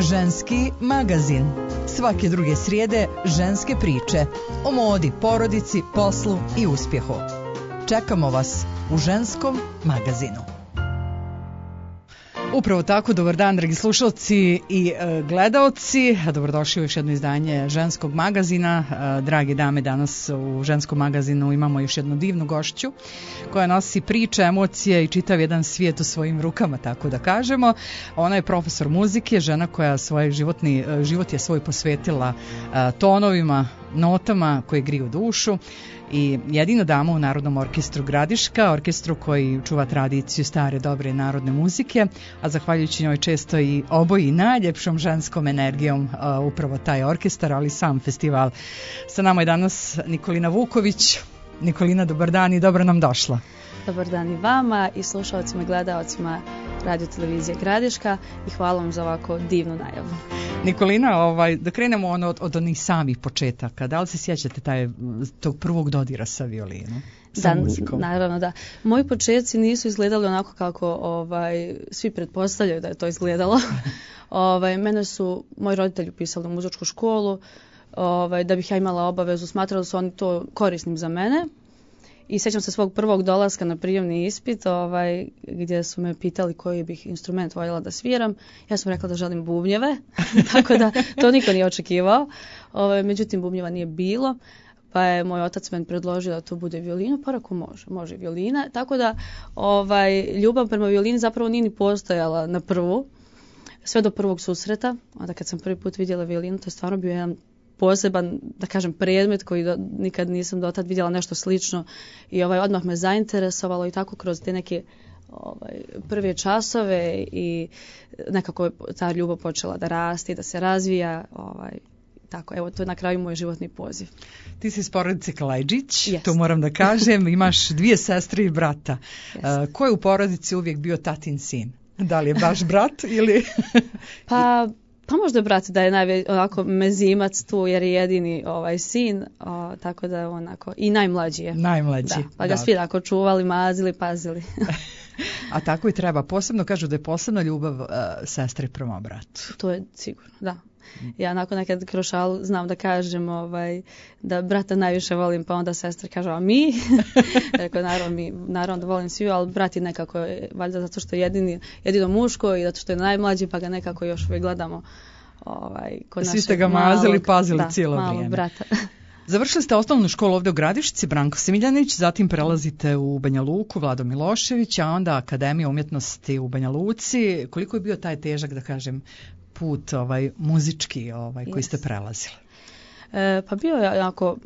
Ženski magazin. Svake druge srijede ženske priče o modi, porodici, poslu i uspjehu. Čekamo vas u Ženskom magazinu. Upravo tako, dobar dan dragi slušalci i gledaoci, dobrodošli u još jedno izdanje Ženskog magazina. Drage dame, danas u Ženskom magazinu imamo još jednu divnu gošću koja nosi priče, emocije i čitav jedan svijet u svojim rukama, tako da kažemo. Ona je profesor muzike, žena koja život je svoj posvetila tonovima, notama koje griju dušu i jedina dama u Narodnom orkestru Gradiška, orkestru koji čuva tradiciju stare dobre narodne muzike, a zahvaljujući njoj često i oboji najljepšom ženskom energijom upravo taj orkestar, ali sam festival. Sa nama je danas Nikolina Vuković. Nikolina, dobar dan i dobro nam došla. Dobar dan i vama i slušalcima i gledaocima Radio televizije Gradiška i hvala vam za ovako divnu najavu. Nikolina, da krenemo od onih samih početaka. Da li se sjećate tog prvog dodira sa violinom? Da, naravno da. Moji početci nisu izgledali onako kako svi pretpostavljaju da je to izgledalo. Mene su moji roditelji upisali u muzičku školu, da bih ja imala obavezu, smatrali su oni to korisnim za mene. I sjećam se svog prvog dolaska na prijemni ispit, gdje su me pitali koji bih instrument voljela da sviram. Ja sam rekla da želim bubnjeve, tako da to niko nije očekivao. Međutim, bubnjeva nije bilo, pa je moj otac meni predložio da to bude violina, pa rekao može violina. Tako da ljubav prema violini zapravo nije ni postojala na prvu, sve do prvog susreta. Onda kad sam prvi put vidjela violinu, to je stvarno bio jedan poseban, da kažem, predmet koji nikad nisam dotad vidjela nešto slično i odmah me zainteresovalo i tako kroz te neke prve časove i nekako je ta ljubav počela da raste, da se razvija, tako, evo, to je na kraju moj životni poziv. Ti si iz porodice Kalajđić, yes. To moram da kažem, imaš 2 sestre i brata. Yes. Ko je u porodici uvijek bio tatin sin? Da li je baš brat ili... Pa možda brat da je onako mezimac tu jer je jedini sin, tako da je onako i najmlađi je. Najmlađi. Da, pa ga svi tako čuvali, mazili, pazili. A tako i treba. Posebno kažu da je posebna ljubav sestre prema bratu. To je sigurno, da. Ja nakon nekad kroz šalu znam da kažem da brata najviše volim, pa onda sestra kaže, a mi? Rekao, naravno da volim svi, ali brat je nekako, valjda zato što je jedino muško i zato što je najmlađi, pa ga nekako još uvijek gledamo kod svi ste ga mazili, pazili cijelo vrijeme. Brata. Završili ste osnovnu školu ovdje u Gradišci, Branko Smiljanić, zatim prelazite u Banja Luku, Vlado Milošević, a onda Akademija umjetnosti u Banja Luci. Koliko je bio taj težak, da kažem, put muzički koji ste prelazili? Pa bio je jako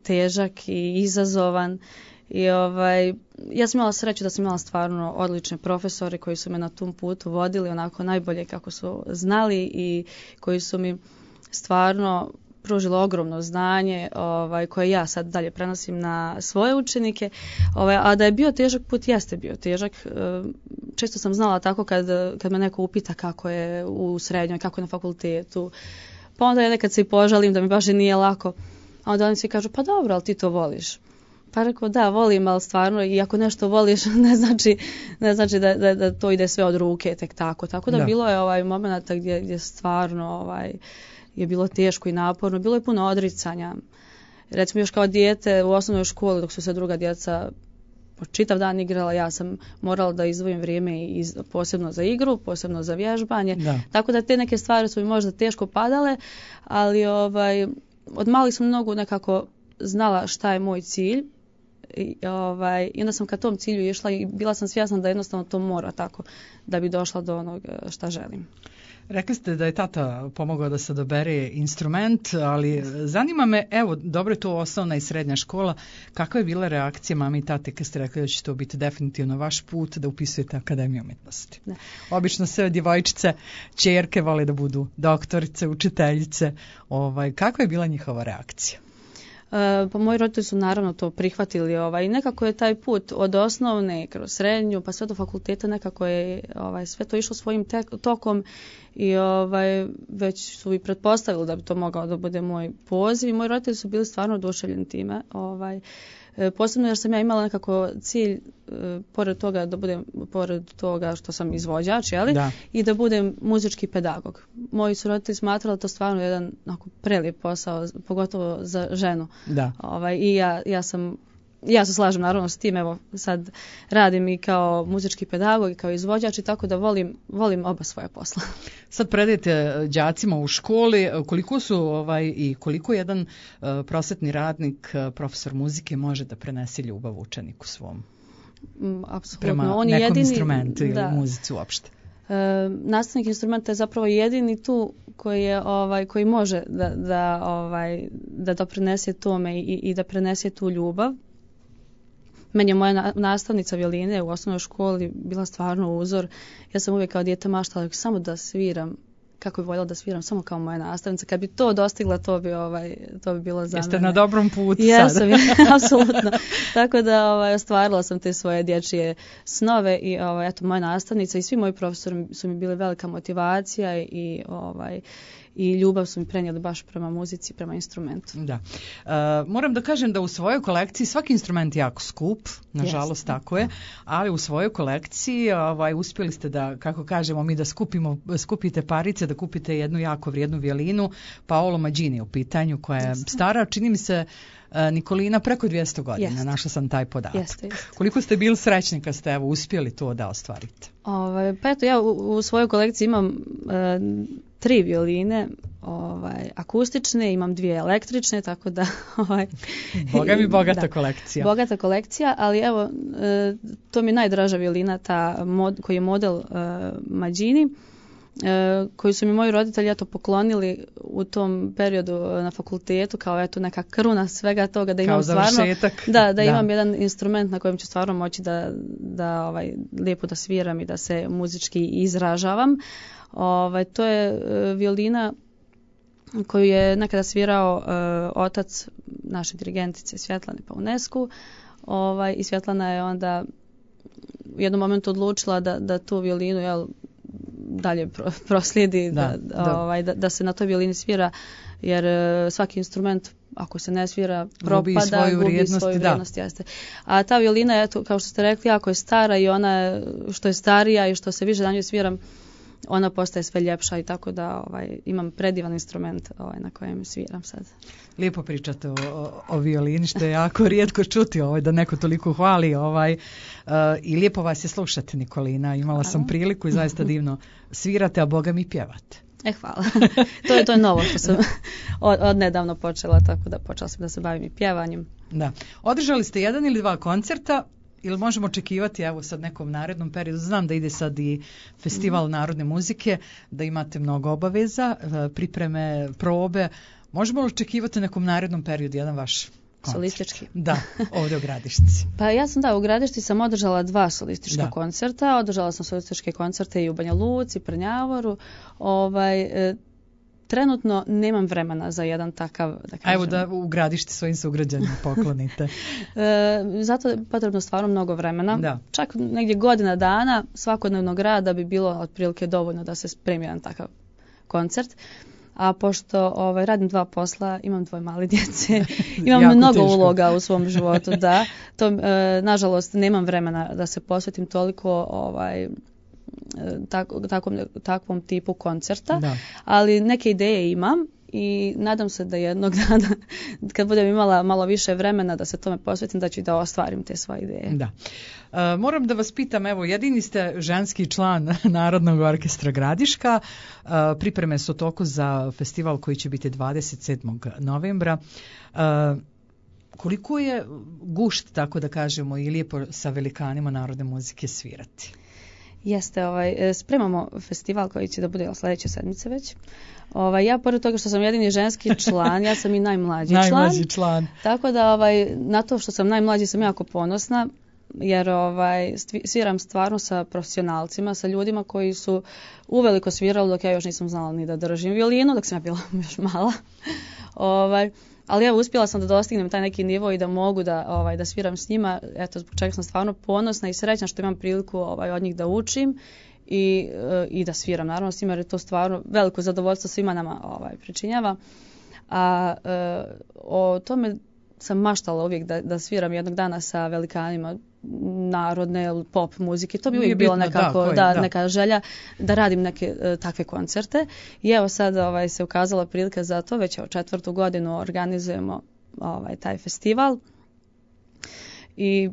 težak i izazovan i ja sam imala sreću da sam imala stvarno odlične profesore koji su me na tom putu vodili onako najbolje kako su znali i koji su mi stvarno pružilo ogromno znanje koje ja sad dalje prenosim na svoje učenike, a da je bio težak put, jeste bio težak. Često sam znala tako kad me neko upita kako je u srednjoj, kako je na fakultetu, pa onda ja nekad se i požalim da mi baš i nije lako, a onda oni svi kažu pa dobro, ali ti to voliš. Pa rekao da, volim, ali stvarno i ako nešto voliš ne znači da to ide sve od ruke tek tako. Tako da bilo je momenata gdje stvarno je bilo teško i naporno, bilo je puno odricanja. Recimo još kao dijete u osnovnoj školi dok su se druga djeca čitav dan igrala, ja sam morala da izdvojim vrijeme posebno za igru, posebno za vježbanje. Da. Tako da te neke stvari su mi možda teško padale, ali od malih sam mnogo nekako znala šta je moj cilj i onda sam ka tom cilju išla i bila sam svjesna da jednostavno to mora tako da bi došla do onog šta želim. Rekli ste da je tata pomogao da se dobere instrument, ali zanima me, evo, dobro je to osnovna i srednja škola, kakva je bila reakcija mame i tate kad ste rekli da će to biti definitivno vaš put da upisujete Akademiju umjetnosti? Ne. Obično sve djevojčice, ćerke vole da budu doktorice, učiteljice, kakva je bila njihova reakcija? Pa moji roditelji su naravno to prihvatili i nekako je taj put od osnovne kroz srednju pa sve do fakulteta nekako je sve to išlo svojim tokom i već su i pretpostavili da bi to mogao da bude moj poziv i moji roditelji su bili stvarno oduševljeni time. Posebno jer sam ja imala nekako cilj pored toga što sam izvođač, i da budem muzički pedagog. Moji su roditelji smatrali to stvarno jedan prelijep posao, pogotovo za ženu. Da. I ja se slažem naravno s tim, evo sad radim i kao muzički pedagog i kao izvođač i tako da volim oba svoja posla. Sad predajete đacima u školi, koliko su i koliko jedan prosvetni radnik, profesor muzike može da prenese ljubav učeniku svom? Apsolutno. Prema On nekom jedini, instrumentu ili muzici uopšte? Nastavnik instrumenta je zapravo jedini tu koji može da doprinese tome i da prenese tu ljubav. Meni je moja nastavnica violine u osnovnoj školi bila stvarno uzor. Ja sam uvijek kao dijete maštala samo da sviram, kako bi voljela da sviram, samo kao moja nastavnica. Kad bi to dostigla, to bi bilo za mene. Jeste na dobrom putu sada. Jesam, apsolutno. Tako da ostvarila sam te svoje dječje snove i moja nastavnica i svi moji profesori su mi bili velika motivacija i ljubav su mi prenijeli baš prema muzici, prema instrumentu. Da. Moram da kažem da u svojoj kolekciji svaki instrument je jako skup, nažalost tako je, ali u svojoj kolekciji uspjeli ste da, kako kažemo mi, da skupite parice, da kupite jednu jako vrijednu violinu, Paolo Maggini u pitanju, koja je stara, čini mi se, Nikolina, preko 200 godina. Našla sam taj podatak. Jeste. Koliko ste bili srećni kad ste uspjeli to da ostvarite? Pa eto, ja u svojoj kolekciji imam 3 violine akustične, imam 2 električne, tako da... Boga mi bogata kolekcija. Bogata kolekcija, ali evo, to mi je najdraža violina, koji je model Maggini, koji su mi moji roditelji poklonili u tom periodu na fakultetu, kao neka kruna svega toga, da imam stvarno da imam jedan instrument na kojem ću stvarno moći da lijepo da sviram i da se muzički izražavam. To je violina koju je nekada svirao otac naše dirigentice Svjetlane Paunescu, i Svjetlana je onda u jednom momentu odlučila da tu violinu dalje proslijedi, da se na toj violini svira, jer svaki instrument ako se ne svira propada, gubi svoju vrijednost. Jeste. A ta violina je, kao što ste rekli, jako je stara i ona što je starija i što se više na njoj sviram, ona postaje sve ljepša i tako da imam predivan instrument na kojem sviram sad. Lijepo pričate o violini, što je jako rijetko čuti da neko toliko hvali i lijepo vas je slušati, Nikolina. Imala sam priliku i zaista divno svirate, a Boga mi pjevate. Hvala. To je novo što sam od nedavno počela, tako da počela sam da se bavim i pjevanjem. Da. Održali ste 1 ili 2 koncerta, ili možemo očekivati sad nekom narednom periodu? Znam da ide sad i festival narodne muzike, da imate mnogo obaveza, pripreme, probe. Možemo li očekivati nekom narednom periodu jedan vaš koncert? Solistički? Da, ovdje u Gradišci. Pa ja sam u Gradišci sam održala 2 solistička koncerta. Održala sam solističke koncerte i u Banja Luci, Prnjavoru. Trenutno nemam vremena za jedan takav, da kažem. Evo da u Gradišti svojim sugrađanima poklonite. Zato je potrebno stvarno mnogo vremena. Da. Čak negdje godina dana svakodnevnog rada bi bilo otprilike dovoljno da se spremi jedan takav koncert. A pošto radim 2 posla, imam 2 male djece, imam mnogo uloga u svom životu, nažalost nemam vremena da se posvetim toliko takvom tipu koncerta, ali neke ideje imam i nadam se da jednog dana kad budem imala malo više vremena da se tome posvetim, da ću da ostvarim te svoje ideje. Da. Moram da vas pitam, evo, jedini ste ženski član Narodnog orkestra Gradiška, pripreme su u toku za festival koji će biti 27. novembra. Koliko je gušt, tako da kažemo, i lijepo sa velikanima narodne muzike svirati? Jeste, spremamo festival koji će da bude sljedeće sedmice već. Ja, pored toga što sam jedini ženski član, ja sam i najmlađi član. Tako da na to što sam najmlađi sam jako ponosna, jer sviram stvarno sa profesionalcima, sa ljudima koji su uveliko svirali dok ja još nisam znala ni da držim violinu, dok sam ja bila još mala. Ali evo, uspjela sam da dostignem taj neki nivo i da mogu da sviram s njima. Eto, zbog čega sam stvarno ponosna i srećna što imam priliku od njih da učim i da sviram. Naravno s njima, jer je to stvarno veliko zadovoljstvo svima nama pričinjava. A o tome sam maštala uvijek da sviram jednog dana sa velikanima narodne pop muzike. To bi uvijek bilo nekako neka želja da radim neke takve koncerte. I evo sad se ukazala prilika za to. Već 4. godinu organizujemo taj festival. I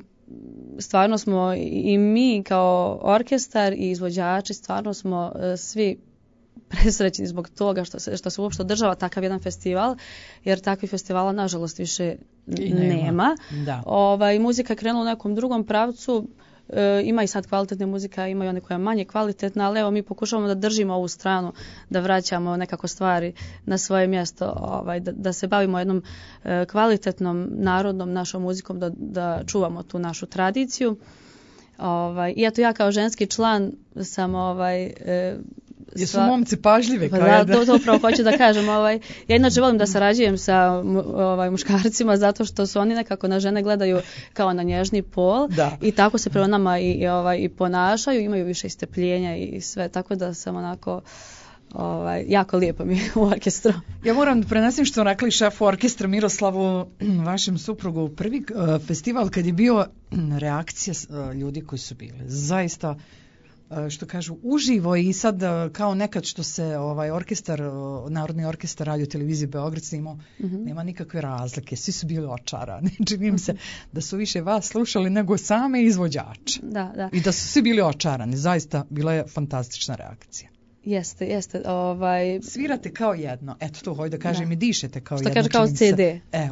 stvarno smo i mi kao orkestar i izvođači stvarno smo svi presrećni zbog toga što se uopšte održava takav jedan festival, jer takvih festivala nažalost više nema. Muzika je krenula u nekom drugom pravcu, ima i sad kvalitetne muzika, ima i one koja je manje kvalitetna, ali evo mi pokušavamo da držimo ovu stranu, da vraćamo nekako stvari na svoje mjesto, da se bavimo jednom kvalitetnom narodnom našom muzikom, da čuvamo tu našu tradiciju. I eto ja kao ženski član sam jesu momci pažljive? To upravo hoću da kažem. Ja inače volim da sarađujem sa muškarcima zato što su oni nekako na žene gledaju kao na nježni pol i tako se prema nama i ponašaju, imaju više strpljenja i sve, tako da sam onako jako lijepo mi u orkestru. Ja moram da prenesem što rekli šefu orkestra Miroslavu, vašem suprugu, prvi festival kad je bio, reakcija ljudi koji su bili zaista, što kažu, uživo i sad kao nekad što se orkestar, Narodni orkestar Radio Televizije Beograd snimao, nema nikakve razlike, svi su bili očarani. Čini mi se da su više vas slušali nego same izvođače. Da. I da su svi bili očarani, zaista bila je fantastična reakcija. Jeste. Svirate kao jedno, eto to hoću da kažem, i dišete kao jedno. Što kaže kao CD.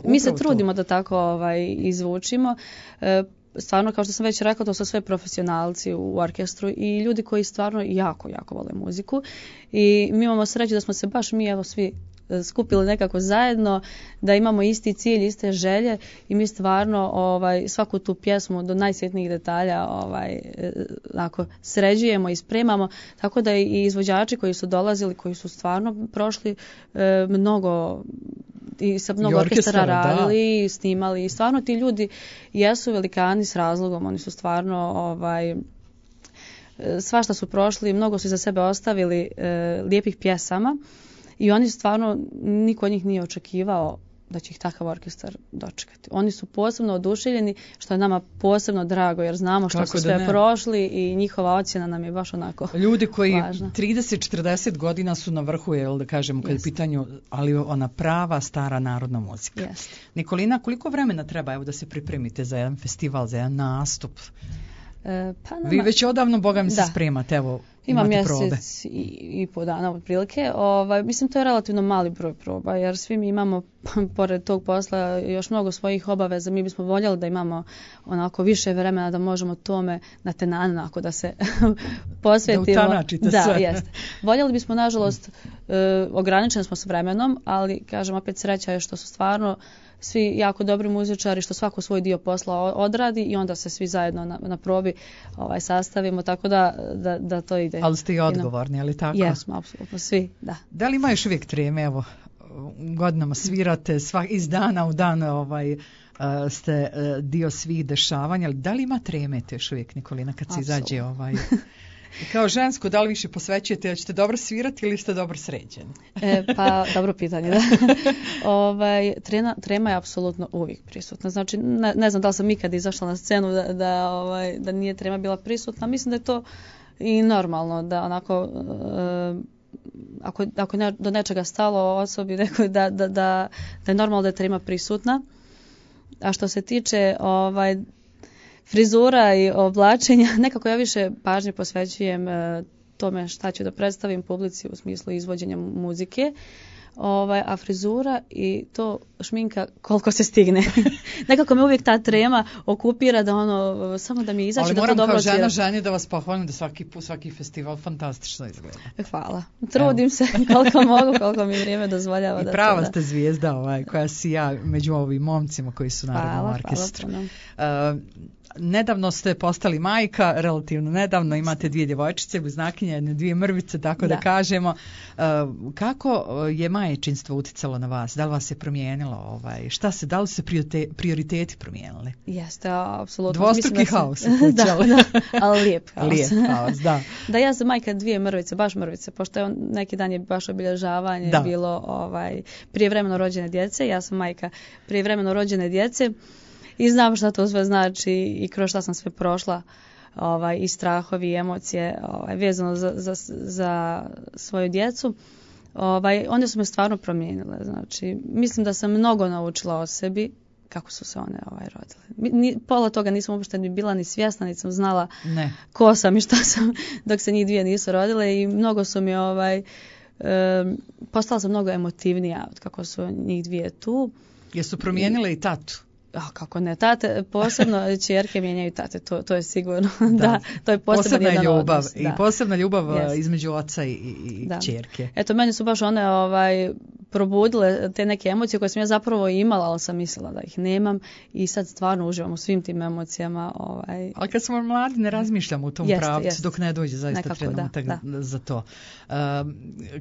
Mi se trudimo da tako izvučimo. Stvarno, kao što sam već rekla, to su sve profesionalci u orkestru i ljudi koji stvarno jako, jako vole muziku. I mi imamo sreću da smo se baš mi svi skupili nekako zajedno, da imamo isti cilj, iste želje i mi stvarno svaku tu pjesmu do najsjetnijih detalja sređujemo i spremamo, tako da i izvođači koji su dolazili, koji su stvarno prošli mnogo i sa mnogo orkestara radili, snimali i stvarno ti ljudi jesu velikani s razlogom, oni su stvarno svašta su prošli, mnogo su iza sebe ostavili lijepih pjesama i oni stvarno, niko od njih nije očekivao da će ih takav orkestar dočekati. Oni su posebno oduševljeni, što je nama posebno drago, jer znamo što su sve prošli i njihova ocjena nam je baš onako ljudi koji važna. 30-40 godina su na vrhu, da kažemo, kad je pitanju, ali ona prava stara narodna muzika. Nikolina, koliko vremena treba da se pripremite za jedan festival, za jedan nastup? Vi već odavno, boga mi se spremate, evo, ima mjesec i po dana otprilike. Mislim, to je relativno mali broj proba, jer svi mi imamo, pored tog posla, još mnogo svojih obaveza. Mi bismo voljeli da imamo onako više vremena da možemo tome na tenan, da se posvetimo. Da utanačite sve. Jeste. Voljeli bismo, nažalost, ograničeni smo s vremenom, ali, kažem, opet sreća je što su stvarno svi jako dobri muzičari, što svako svoj dio posla odradi i onda se svi zajedno na probi sastavimo, tako da to ide. Ali ste i odgovorni, ali tako? Jesmo, apsolutno, svi, da. Da li ima još uvijek treme, evo, godinama svirate, iz dana u dan ste dio svih dešavanja, ali da li ima treme te još uvijek, Nikolina, kad se izađe kao žensko, da li više posvećujete, da ćete dobro svirati ili ste dobro sređeni? Pa, dobro pitanje, da. Trema je apsolutno uvijek prisutna. Znači, ne znam da li sam ikad izašla na scenu da nije trema bila prisutna. Mislim da je to i normalno, da onako, ako je do nečega stalo osobi, da je normalno da je trema prisutna. A što se tiče frizura i oblačenja, nekako ja više pažnje posvećujem tome šta ću da predstavim publici u smislu izvođenja muzike, a frizura i to šminka koliko se stigne. Nekako me uvijek ta trema okupira da samo da mi izaći, da to dobro odsvira. Ali moram kao ženi da vas pohvalim da svaki festival fantastično izgleda. Hvala. Trudim se koliko mogu, koliko mi vrijeme dozvoljava. I prava ste zvijezda koja sija među ovim momcima koji su naravno u orkestru. Hvala. Nedavno ste postali majka, relativno nedavno, imate 2 djevojčice, bliznakinje, 2 mrvice, tako da kažemo. Kako je majčinstvo uticalo na vas? Da li vas je promijenilo? Da li se prioriteti promijenili? Jeste, apsolutno. Dvostruki haos. Da, ali lijep haos. Lijep haos, da. Da, ja sam majka dvije mrvice, baš mrvice, pošto je neki dan je baš obilježavanje bilo prijevremeno rođene djece. Ja sam majka prijevremeno rođene djece i znam šta to sve znači i kroz šta sam sve prošla. I strahovi i emocije vezano za svoju djecu, one su me stvarno promijenile. Znači, mislim da sam mnogo naučila o sebi kako su se one rodile. Pola toga nisam uopšte ni bila ni svjesna, niti sam znala ko sam i šta sam dok se njih dvije nisu rodile i mnogo su mi postala sam mnogo emotivnija od kako su njih dvije tu. Jesu promijenile i tatu? Kako ne, tate, posebno ćerke mijenjaju tate, to je sigurno, da, to je posebna jedan ljubav, odnos. I posebna ljubav između oca i ćerke. Eto, meni su baš one probudile te neke emocije koje sam ja zapravo imala, ali sam mislila da ih nemam i sad stvarno uživam u svim tim emocijama. Ali kad smo mladi ne razmišljamo u tom pravcu dok ne dođe zaista nekako, trenutak za to.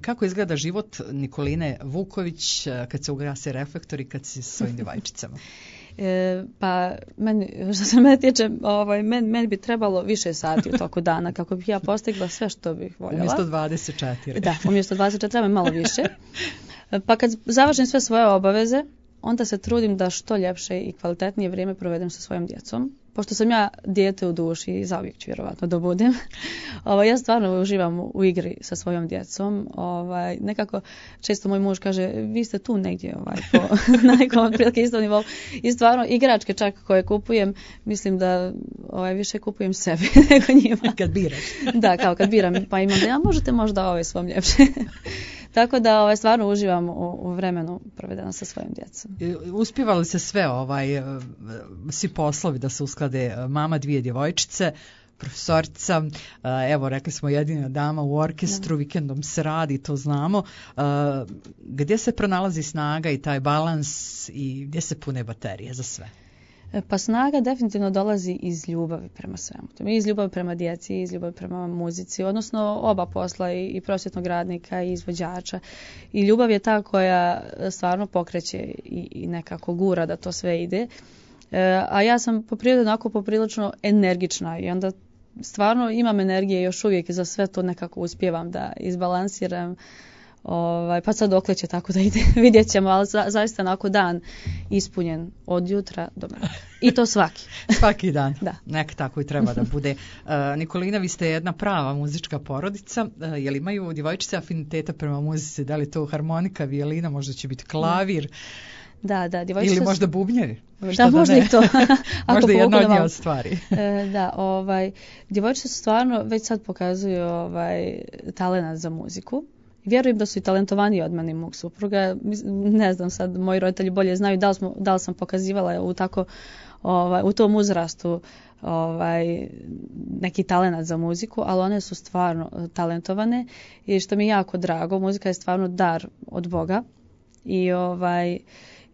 Kako izgleda život Nikoline Vuković kad se ugase reflektori, kad si sa svojim djevojčicama? Pa što se mene tiče, meni bi trebalo više sati u toku dana kako bih ja postigla sve što bih voljela. Umjesto 24. Da, umjesto 24 treba mi malo više. Pa kad završim sve svoje obaveze, onda se trudim da što ljepše i kvalitetnije vrijeme provedem sa svojom djecom. Pošto sam ja dijete u duši i zauvijek ću vjerovatno da budem, ja stvarno uživam u igri sa svojom djecom. Nekako često moj muž kaže, vi ste tu negdje na nekom otprilike istom nivou. I stvarno igračke čak koje kupujem, mislim da više kupujem sebi nego njima. Kad biraš. Da, kao kad biram, pa imam da možete možda svom ljepše. Tako da stvarno uživam u vremenu provedeno sa svojim djecom. Uspijeva li se sve svi poslovi da se usklade? Mama dvije djevojčice, profesorica, evo rekli smo jedina dama u orkestru, vikendom se radi, to znamo. Gdje se pronalazi snaga i taj balans i gdje se pune baterije za sve? Pa snaga definitivno dolazi iz ljubavi prema svemu. Iz ljubavi prema djeci, iz ljubavi prema muzici, odnosno oba posla i prosvjetnog radnika i izvođača. I ljubav je ta koja stvarno pokreće i nekako gura da to sve ide. A ja sam po prirodi onako poprilično energična i onda stvarno imam energije još uvijek i za sve to nekako uspijevam da izbalansiram. Pa sad dokle će tako da ide, vidjet ćemo, ali zaista onako dan ispunjen od jutra do mraka. I to svaki. Svaki dan. Da. Nek tako i treba da bude. Nikolina, vi ste jedna prava muzička porodica. Je li imaju djevojčice afiniteta prema muzici? Da li to harmonika, violina, možda će biti klavir? Da, djevojčice. Ili možda bubnjevi? Da, možda i to. Možda jedna od njih od stvari. Djevojčice su stvarno već sad pokazuju talent za muziku. Vjerujem da su i talentovaniji od mene i mog supruga. Ne znam sad, moji roditelji bolje znaju da li sam pokazivala u tom uzrastu neki talent za muziku, ali one su stvarno talentovane i što mi je jako drago, muzika je stvarno dar od Boga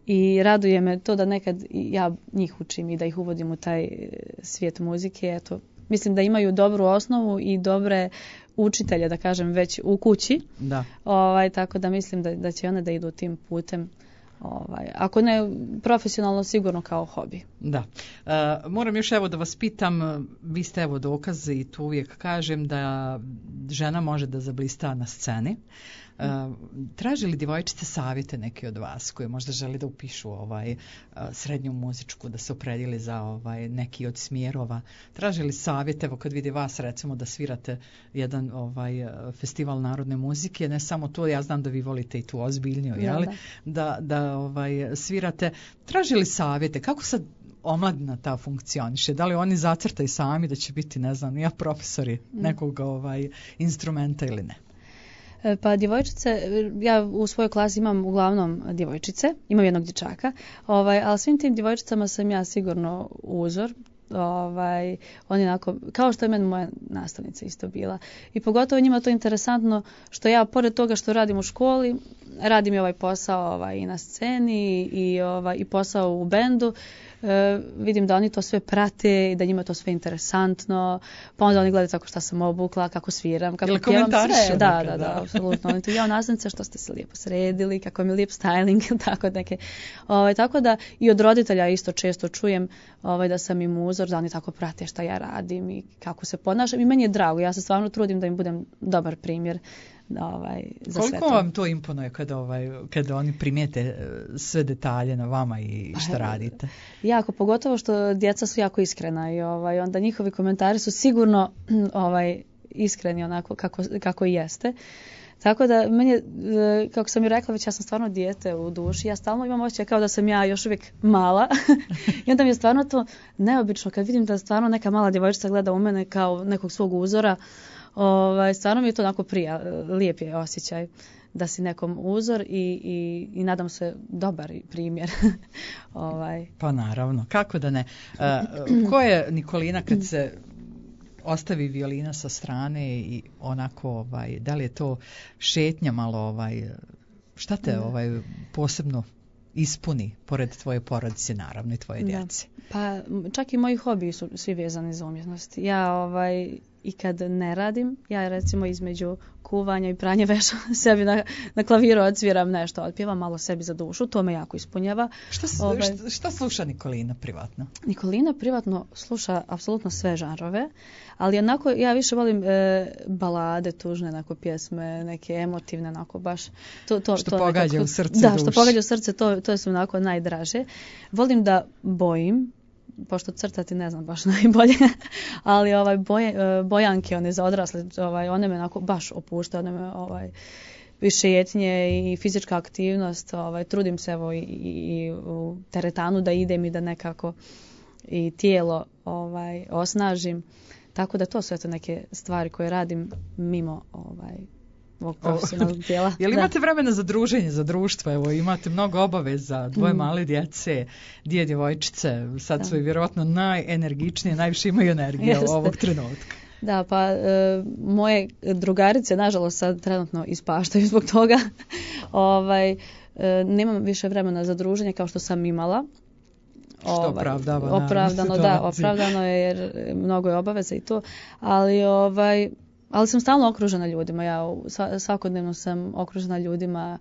i raduje me to da nekad ja njih učim i da ih uvodim u taj svijet muzike. Eto, mislim da imaju dobru osnovu i dobre učitelje, da kažem, već u kući. Da. Tako da mislim da će one da idu tim putem. Ako ne profesionalno, sigurno kao hobi. Da. Moram još da vas pitam, vi ste dokaz i tu uvijek kažem da žena može da zablista na sceni. Traži li djevojčice savjete neke od vas koje možda želi da upišu srednju muzičku, da se opredijeli za neki od smjerova? Traži li savjete, evo kad vidi vas recimo da svirate jedan festival narodne muzike, ne samo to, ja znam da vi volite i tu ozbiljniju, da svirate. Traži li savjete? Kako sad omladina ta funkcioniše? Da li oni zacrtaju sami da će biti, ne znam, ja profesori nekog instrumenta ili ne? Pa djevojčice, ja u svojoj klasi imam uglavnom djevojčice, imam jednog dječaka, ali svim tim djevojčicama sam ja sigurno uzor. Oni onako, kao što je meni moja nastavnica isto bila. I pogotovo njima to interesantno što ja, pored toga što radim u školi, radim i ovaj posao i na sceni i posao u bendu. vidim da oni to sve prate i da njima to sve interesantno, pa onda oni gledaju tako šta sam obukla, kako sviram, kako pjevam sve. Da, apsolutno. Oni to nastavnice što ste se lijepo sredili, kako mi je lijep styling, tako neke. Tako da i od roditelja isto često čujem da sam im uzor, da oni tako prate šta ja radim i kako se ponašam i meni je drago, ja se stvarno trudim da im budem dobar primjer. Za koliko vam to imponuje kada oni primijete sve detalje na vama i šta radite? Jako, pogotovo što djeca su jako iskrena i onda njihovi komentari su sigurno iskreni onako kako i jeste. Tako da meni, kako sam i rekla, već ja sam stvarno dijete u duši, ja stalno imam osjećaj kao da sam ja još uvijek mala i onda mi je stvarno to neobično kad vidim da stvarno neka mala djevojčica gleda u mene kao nekog svog uzora. Stvarno mi je to onako lijep je osjećaj da si nekom uzor i nadam se dobar primjer. Pa naravno, kako da ne. Ko je Nikolina kad se ostavi violina sa strane i onako, da li je to šetnja malo, šta te posebno ispuni pored tvoje porodice, naravno i tvoje djece? Pa čak i moji hobiji su svi vezani za umjetnost. Ja i kad ne radim, ja recimo između kuvanja i pranja veša sebi na klaviru odsviram nešto, otpjevam malo sebi za dušu, to me jako ispunjava. Šta sluša Nikolina privatno? Nikolina privatno sluša apsolutno sve žanrove, ali onako ja više volim balade, tužne onako pjesme, neke emotivne, onako baš što pogađa u srce. Da, što pogađa u srce, to su onako najdraže. Volim da bojim, pošto crtati ne znam baš najbolje, ali bojanke, one za odrasle, one me onako baš opuštaju, one me i šetnje i fizička aktivnost, trudim se i u teretanu da idem i da nekako i tijelo osnažim, tako da to su eto neke stvari koje radim mimo ovog profesionalnog dijela. Jel imate vremena za druženje, za društvo? Evo, imate mnogo obaveza, dvoje male djece, dvije djevojčice, sad su vjerojatno najenergičnije, najviše imaju energije ovog trenutka. Da, pa moje drugarice, nažalost, sad trenutno ispaštaju zbog toga. Nemam više vremena za druženje kao što sam imala. Što opravdano je jer mnogo je obaveza i to, ali sam stalno okružena ljudima. Ja svakodnevno sam okružena ljudima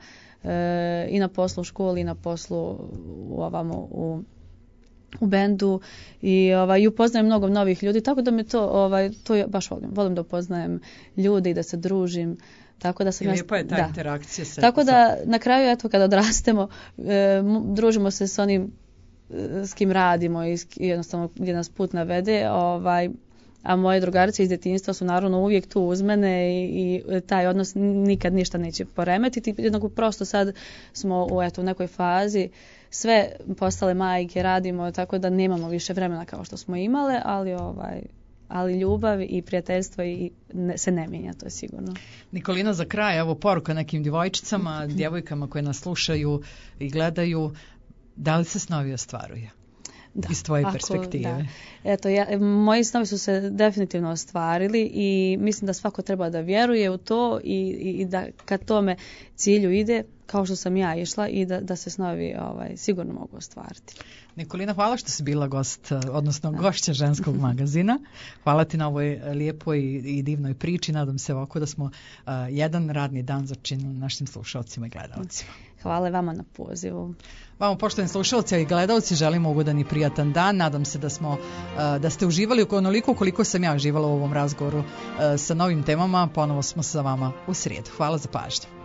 i na poslu u školi i na poslu u bendu i upoznajem mnogo novih ljudi, tako da me to ja baš volim da upoznajem ljude i da se družim. Tako da sam lijepa je ta interakcija. Tako da na kraju eto kada odrastemo družimo se s onim s kim radimo i jednostavno gdje nas put navede, a moje drugarice iz djetinjstva su naravno uvijek tu uz mene i taj odnos nikad ništa neće poremetiti. Jednako prosto sad smo u nekoj fazi sve postale majke, radimo, tako da nemamo više vremena kao što smo imale, ali ljubav i prijateljstvo se ne mijenja, to je sigurno. Nikolina, za kraj, evo poruka nekim djevojčicama, djevojkama koje nas slušaju i gledaju, da li se snovi ostvaruje? Da, iz tvoje perspektive. Da. Eto, moji snovi su se definitivno ostvarili i mislim da svako treba da vjeruje u to i da kad tome cilju ide, kao što sam ja išla, i da se snovi sigurno mogu ostvariti. Nikolina, hvala što si bila gost, odnosno gošća Ženskog magazina. Hvala ti na ovoj lijepoj i divnoj priči. Nadam se ovako da smo jedan radni dan začinili našim slušalcima i gledalcima. Hvala vama na pozivu. Vama, poštovani slušalci i gledalci, želimo ugodan i prijatan dan. Nadam se da ste uživali onoliko koliko sam ja uživala u ovom razgovoru sa novim temama. Ponovo smo sa vama u srijedu. Hvala za pažnju.